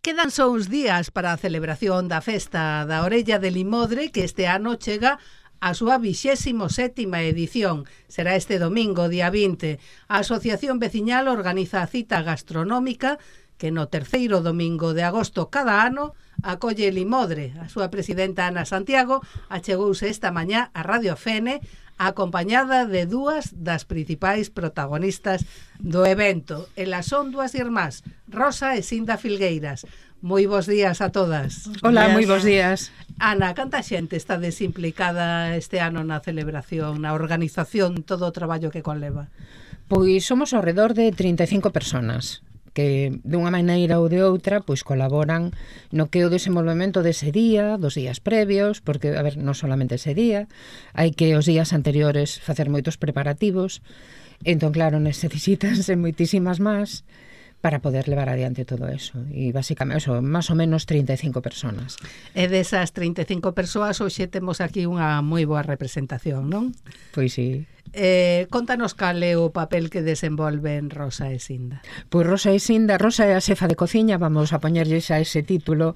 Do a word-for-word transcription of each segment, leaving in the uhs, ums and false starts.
Quedan só uns días para a celebración da Festa da Orella de Limodre, que este ano chega a súa vixésimo sétima edición. Será este domingo, día vinte. A Asociación Veciñal organiza a cita gastronómica que no terceiro domingo de agosto cada ano acolle Limodre. A súa presidenta Ana Santiago achegouse esta mañá a Radio F N acompañada de dúas das principais protagonistas do evento. Elas son dúas irmás, Rosa e Sinda Filgueiras. Moi bons días a todas. Hola, moi bons días. Ana, canta xente está desimplicada este ano na celebración, na organización, todo o traballo que conleva? Pois somos ao redor de trinta e cinco personas que dunha maneira ou de outra pois colaboran no que o desenvolvemento dese día, dos días previos, porque, a ver, non solamente ese día, hai que os días anteriores facer moitos preparativos, entón, claro, necesitanse moitísimas máis para poder levar adiante todo eso. E, basicamente, eso, máis ou menos trinta e cinco personas. E desas trinta e cinco persoas, hoxe temos aquí unha moi boa representación, non? Pois sí. Eh, contanos cal é o papel que desenvolven Rosa e Sinda. Pois Rosa e Sinda, Rosa é a xefa de cociña, vamos a poñerlles a ese título,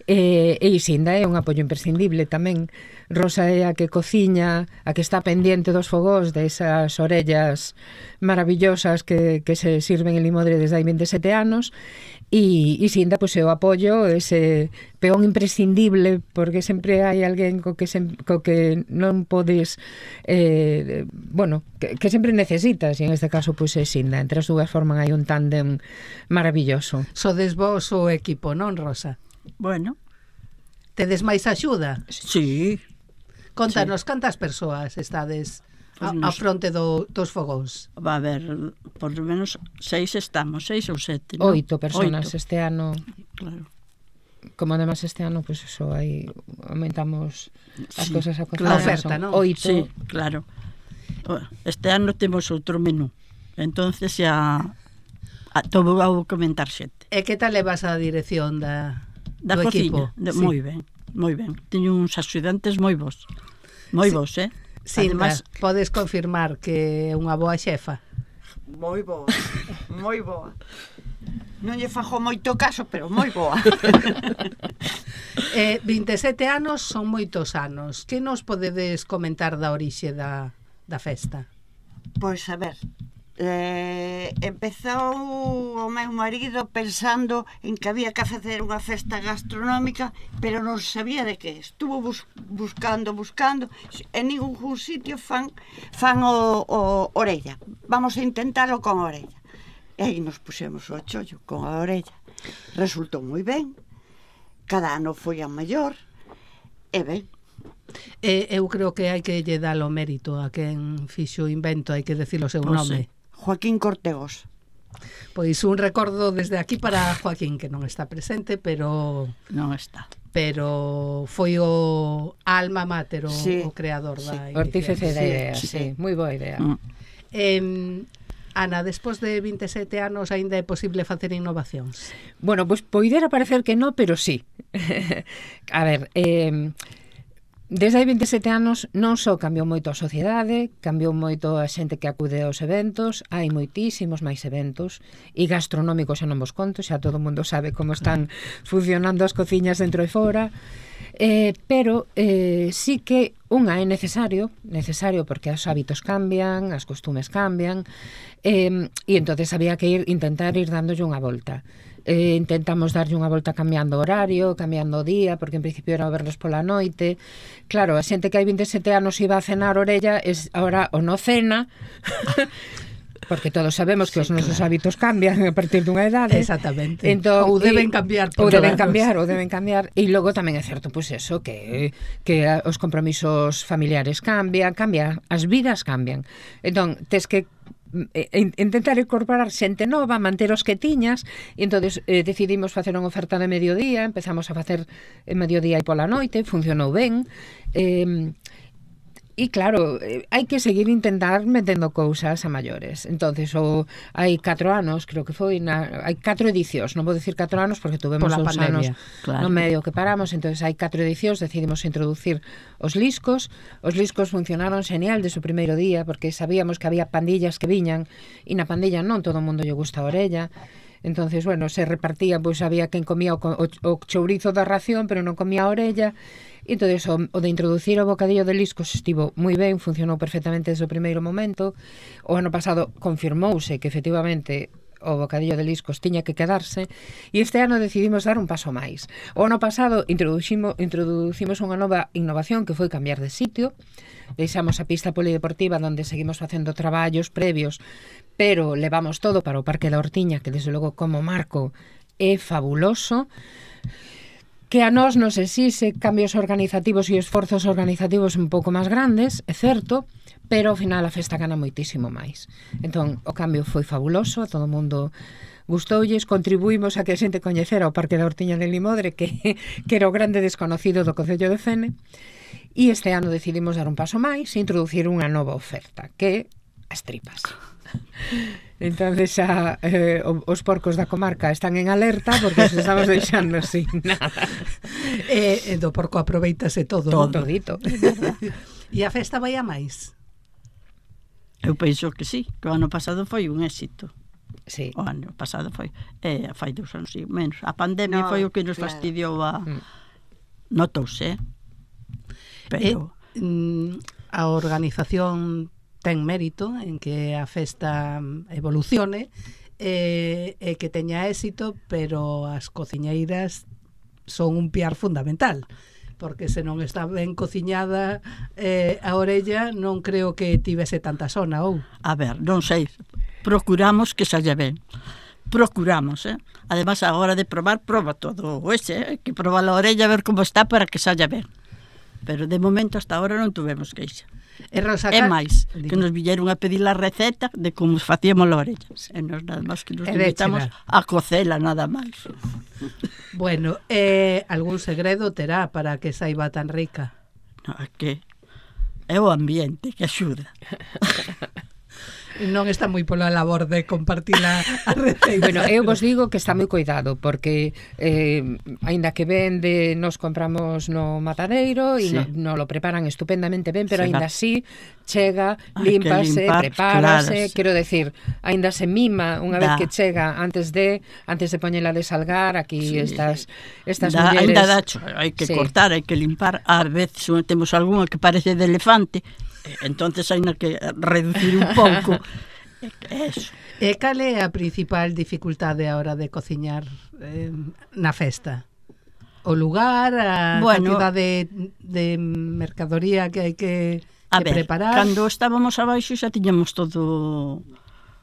e, e Sinda é un apoio imprescindible tamén. Rosa é a que cociña, a que está pendiente dos fogós, desas orellas maravillosas que, que se sirven en Limodre desde hai veintesete anos, e, e Sinda, pois, é o apoio, ese peón imprescindible, porque sempre hai alguén co que, se, co que non podes, eh, bueno, que, que sempre necesitas, e en este caso, pois, é Sinda. Entre as dúas forman hai un tándem maravilloso. Sodes vos o equipo, non, Rosa? Bueno. Tedes máis axuda? Sí. Contanos, sí. Cantas persoas estades a, pues a nos... fronte do, dos fogóns? Va a haber, por lo menos, seis estamos, seis ou sete, ¿no? Oito personas Oito. Este ano. Claro. Como además este ano, pues eso, aí aumentamos as sí, cousas a claro. A oferta, non? Oito. Sí, claro. Este ano temos outro menú. Entonces xa a, todo vou comentar xente. E que tal levas a dirección da, da do cociña? equipo? De, sí. Moi ben, moi ben. Teño uns axudantes moi bons. Moi sí. bons, eh? Sinda, además, podes confirmar que é unha boa xefa? Moi boa, moi boa. Non lle fajo moito caso, pero moi boa. eh, veintesete anos son moitos anos. Que nos podedes comentar da orixe da, da festa? Pois, a ver, eh, empezou o meu marido pensando en que había que facer unha festa gastronómica, pero non sabía de que. Estuvo bus buscando, buscando, en ningún sitio fan, fan o, o orella. Vamos a intentarlo con orella. E aí nos pusemos o chollo con a orella. Resultou moi ben. Cada ano foi a maior. E ben. E, eu creo que hai que lle dar o mérito a quen fixo o invento, hai que decir o seu pues nome. Sí. Joaquín Cortegos. Pois un recordo desde aquí para Joaquín, que non está presente, pero non está. Pero foi o alma mater, o, sí. o creador sí. da iniciativa. Artífice da idea, sí, sí. sí. Moi boa idea. Mm. Eh, Ana, despois de veintesete anos aínda é posible facer innovacións? Bueno, pois pues, poidera parecer que non, pero sí. A ver, eh, desde hai veintesete anos non só cambiou moito a sociedade, cambiou moito a xente que acude aos eventos, hai moitísimos máis eventos, e gastronómicos xa non vos conto, xa todo o mundo sabe como están funcionando as cociñas dentro e fora, eh, pero eh, sí que unha é necesario, necesario porque os hábitos cambian, as costumes cambian, eh, e entonces había que ir intentar ir dándolle unha volta. Eh, intentamos darlle unha volta cambiando o horario, cambiando o día, porque en principio era o vernos pola noite. Claro, a xente que hai veintesete anos iba a cenar orella, es ahora o no cena, porque todos sabemos que sí, os nosos claro. hábitos cambian a partir dunha idade. Exactamente. Entón, ou deben cambiar. Ou deben cambiar, ou deben cambiar. E logo tamén é certo, pois pues eso, que, que os compromisos familiares cambian, cambia, as vidas cambian. Entón, tes que intentar incorporar xente nova, manter os que tiñas, e entonces eh, decidimos facer unha oferta de mediodía, empezamos a facer en mediodía e pola noite, funcionou ben, eh, e claro, eh, hai que seguir intentar metendo cousas a maiores. Entonces, o, hai catro anos, creo que foi, na, hai catro edicións, non vou dicir catro anos porque tuvemos dous anos claro. no medio que paramos, entonces hai catro edicións, decidimos introducir os liscos. Os liscos funcionaron genial desde o primeiro día, porque sabíamos que había pandillas que viñan, e na pandilla non todo o mundo lle gusta a orella. Entonces, bueno, se repartían, pois había quen comía o, o, o chourizo da ración, pero non comía a orella. E entonces o, o de introducir o bocadillo de liscos estivo moi ben, funcionou perfectamente desde o primeiro momento. O ano pasado confirmouse que efectivamente o bocadillo de liscos tiña que quedarse, e este ano decidimos dar un paso máis. O ano pasado introducimos, introducimos unha nova innovación que foi cambiar de sitio. Deixamos a pista polideportiva onde seguimos facendo traballos previos, pero levamos todo para o Parque da Hortiña, que desde logo como marco é fabuloso, que a nós nos exixe cambios organizativos e esforzos organizativos un pouco máis grandes, é certo, pero ao final a festa gana moitísimo máis. Entón, o cambio foi fabuloso, a todo o mundo gustoulles, contribuímos a que a xente coñecera o Parque da Hortiña de Limodre, que, que era o grande desconocido do Concello de Fene, e este ano decidimos dar un paso máis e introducir unha nova oferta, que é as tripas. Entonces xa eh, os porcos da comarca están en alerta porque os estamos deixando sin nada. E, e do porco aproveitase todo, Todo, ¿no? todito. E a festa vai a máis? Eu penso que sí, que o ano pasado foi un éxito. Sí. O ano pasado foi, eh, fai dous anos, sí, menos. A pandemia No, foi o que nos claro. fastidiou a... Mm. Notouse, eh? Pero... E, mm, a organización ten mérito en que a festa evolucione e, e que teña éxito, pero as cociñeiras son un piar fundamental, porque se non está ben cociñada eh, a orella, non creo que tivese tanta sona, ou? A ver, non sei, procuramos que saia ben. Procuramos, eh? Además, a hora de probar, proba todo o ese, eh? Hai que probar a orella, a ver como está para que saia ben. Pero de momento, hasta ahora, non tuvemos queixa. E Rosa É Car- máis, Dime. que nos villeron a pedir a receta de como facíamos a orella. E nos nada máis que nos E limitamos déchela. a cocela, nada máis. Bueno, eh, algún segredo terá para que saiba tan rica? No, é que é o ambiente que axuda. Non está moi pola labor de compartir a, a receita. Bueno, eu vos digo que está moi cuidado porque eh, aínda que vende nos compramos no matadeiro e Sí. sí. no, no lo preparan estupendamente ben, pero Sí, aínda va. así chega, Hai que límpase, limpar, prepárase, claro, sí. quero decir, aínda se mima unha vez Da. que chega antes de antes de poñela de salgar, aquí Sí. estas estas Da, mulleres. ainda dacho, hai que Sí. cortar, hai que limpar. A veces temos algunha que parece de elefante, entonces hai que reducir un pouco. Eso. E cal é a principal dificultade a hora de cociñar eh, na festa? O lugar, a Bueno. cantidade de, de mercadoría que hai que, A que ver, preparar? cando estábamos abaixo xa tiñamos todo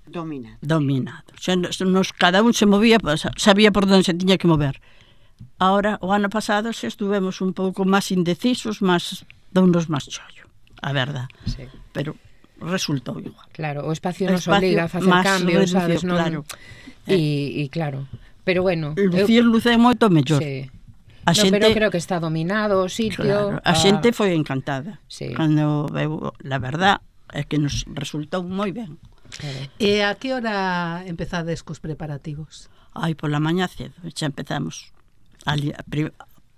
Domina. dominado. Xa nos, nos- cada un se movía, pues, sabía por onde se tiña que mover. Ahora, o ano pasado, xa estuvemos un pouco máis indecisos, máis dounos máis chollo, a verdad. Sí. Pero resultou igual. Claro, o espacio O nos espacio obliga a facer máis cambios, reducido, sabes, non? claro. E, e claro, pero bueno, Lucir luce moito mellor. sí. A No, xente, pero creo que está dominado o sitio. claro, a xente foi encantada. Sí. Cando veu, la verdad, é que nos resultou moi ben. Claro. E a que hora empezades cos preparativos? Ai, pola mañá cedo, xa empezamos a, li- a, pri-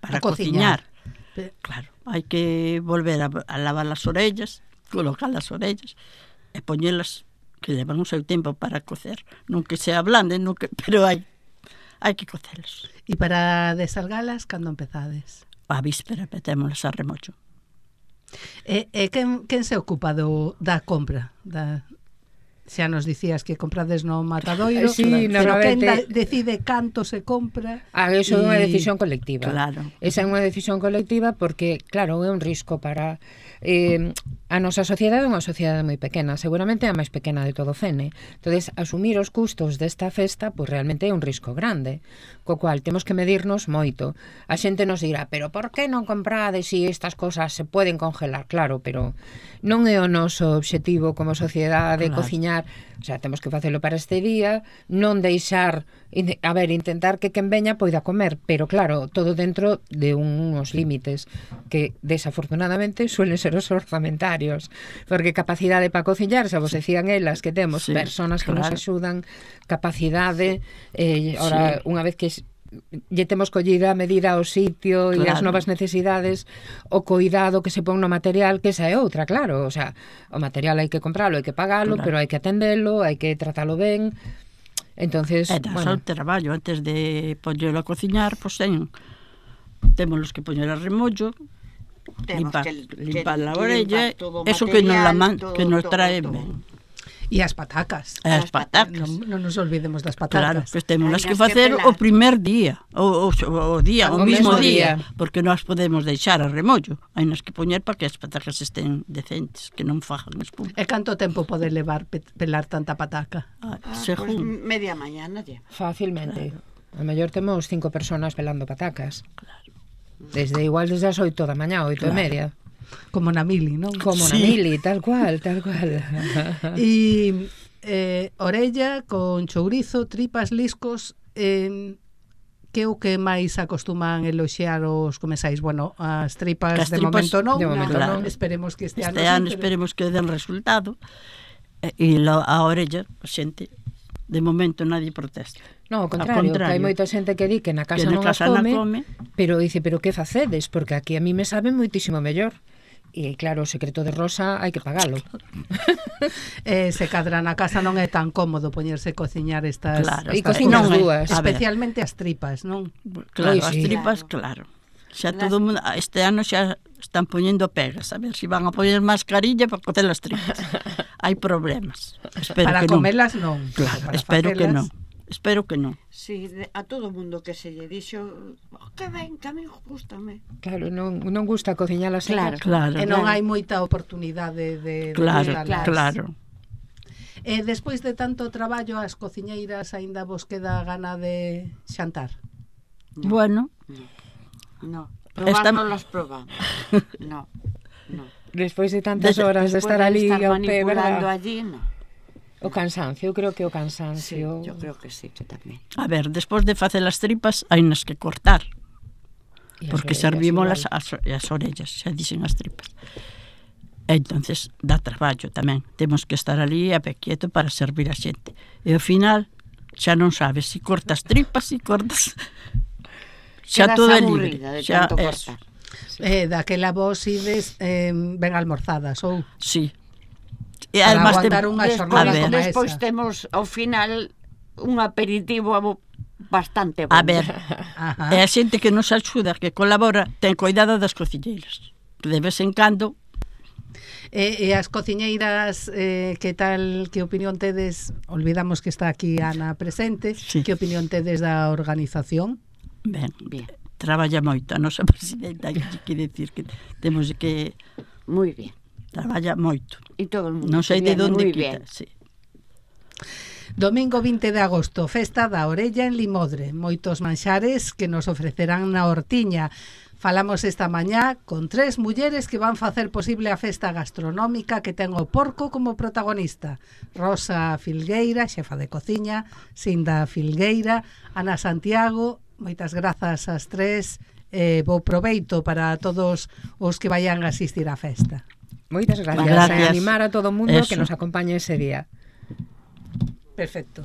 para A cociñar. cociñar. Pe- Claro, hai que volver a, a lavar as orellas, colocar as orellas e poñelas que levan o seu tempo para cocer. Non que sea blande, non que, pero hai hai que cocelas. E para desalgalas, cando empezades? A víspera metémolas a remocho. E, e quen, quen se ocupa do, da compra? Da, xa nos dicías que comprades no matadoiro, Sí, pero quen da, normalmente- decide canto se compra? Ah, eso é unha E- decisión colectiva. Claro. Esa é unha decisión colectiva porque, claro, é un risco para... Eh, a nosa sociedade é unha sociedade moi pequena, seguramente é a máis pequena de todo o Fene. Entonces, asumir os custos desta festa, pois realmente é un risco grande, co cual temos que medirnos moito. A xente nos dirá, pero por que non comprades se estas cosas se poden congelar? Claro, pero non é o noso obxectivo como sociedade Claro. cociñar, o sea, temos que facelo para este día, non deixar, a ver, intentar que quen veña poida comer, pero claro, todo dentro de uns límites que desafortunadamente suelen ser os orzamentarios, porque capacidade para cociñar, xa vos decían elas que temos Sí, personas que nos claro. axudan, capacidade, eh, ora, Sí. unha vez que lle temos collida a medida ao sitio e as Claro. novas necesidades, o cuidado que se pon no material, que esa é outra, claro, o sea, o material hai que compralo, hai que pagalo, Claro. pero hai que atendelo, hai que tratalo ben. Entonces, E das bueno, ao traballo, antes de poñelo a cociñar, pois ten, temos que poñer a remollo, Temos limpar, que- que- limpar a que orella, limpar todo o eso que non la man, material, que nos todo, trae todo, ben. E as patacas. E as patacas. Non, non nos olvidemos das Claro, patacas. pois temos Hai que nas que facer pelar. o primer día, o, o, o día, o, O mismo mesmo día, día. porque non as podemos deixar a remollo. Hai nas que poñer para que as patacas estén decentes, que non fajan espuma. E canto tempo pode levar pe- pelar tanta pataca? Ah, Ah, según. pues media mañana lle. fácilmente. A mellor temos cinco personas pelando patacas. Desde igual desde as oito da mañá, oito e media. Como na mili, non? Como na Sí. mili, tal cual, tal cual. E eh, orella con chourizo, tripas, liscos, eh, que é o que máis acostuman eloxear os comensais? Bueno, as tripas, As de tripas, momento non, de momento non. esperemos que este, Este ano, ano sí, pero- esperemos que den resultado. E, e lo, a orella, a xente, de momento nadie protesta. No, ao Ao contrario, que hai contrario. moita xente que di que na casa Que na non as casa non come, come. pero dice, pero que facedes? Porque aquí a mí me sabe moitísimo mellor. E claro, o secreto de Rosa hai que pagalo. eh, se cadra na casa non é tan cómodo poñerse a cociñar estas, Claro, E estas cociñas cousas. dúas. A ver. Especialmente as tripas, non? Claro, Oi, as sí. tripas, claro. Xa todo o mundo, este ano xa están poñendo pegas, a ver se si van a poñer mascarilla para cocer as tripas. Hai problemas. Espero Para que non. comelas non. Claro, Para espero que facelas, non. Espero que non. Si, de, a todo o mundo que se lle dixo, oh, que ben, que a mí gustame. Claro, non, non gusta cociñalas en Claro. casa. Claro. E non Claro. hai moita oportunidade de, de Claro, gustalas. claro. E despois de tanto traballo, as cociñeiras aínda vos queda gana de xantar? Bueno, No, Esta- probar non las probamos. No, no. Despois de tantas Des- horas de Después estar de ali estar ao pé, manipulando verdad? allí, no. O cansancio, eu creo que o Sí, cansancio. yo creo que sí, que tamén. a ver, despois de facer as tripas, hai nas que cortar, E as porque orellas servimos igual. as, as, as orellas, xa dicen as tripas. E entonces dá traballo tamén. Temos que estar ali a pé quieto para servir a xente. E ao final xa non sabes se si cortas tripas, se si cortas... Xa Quedas todo é libre. aburrida de Xa tanto eso. cortar. Eh, daquela vos ides eh, ben almorzadas, ou? Sí. E Para además aguantar tem- unha Despois, xornada a ver. como despois esa. temos ao final un aperitivo abo- bastante bon. A ver, Ajá. e a xente que nos axuda, que colabora, ten cuidado das cociñeiras. Que de vez en cando, E, e as cociñeiras, eh, que tal, que opinión tedes? Olvidamos que está aquí Ana presente. Sí. Que opinión tedes da organización? ben, Bien, traballa moito a nosa presidenta, hai que decir que temos que moi bien. traballa moito. E todo o mundo. Non sei de bien, onde moi quita, bien. sí. Domingo vinte de agosto, festa da orella en Limodre. Moitos manxares que nos ofrecerán na hortiña. Falamos esta mañá con tres mulleres que van facer posible a festa gastronómica que ten o porco como protagonista. Rosa Filgueira, xefa de cociña, Sinda Filgueira, Ana Santiago. Moitas grazas ás tres. Eh, bo proveito para todos os que vayan a asistir á festa. Moitas gracias. Gracias. E animar a todo o mundo Eso. que nos acompañe ese día. Perfecto.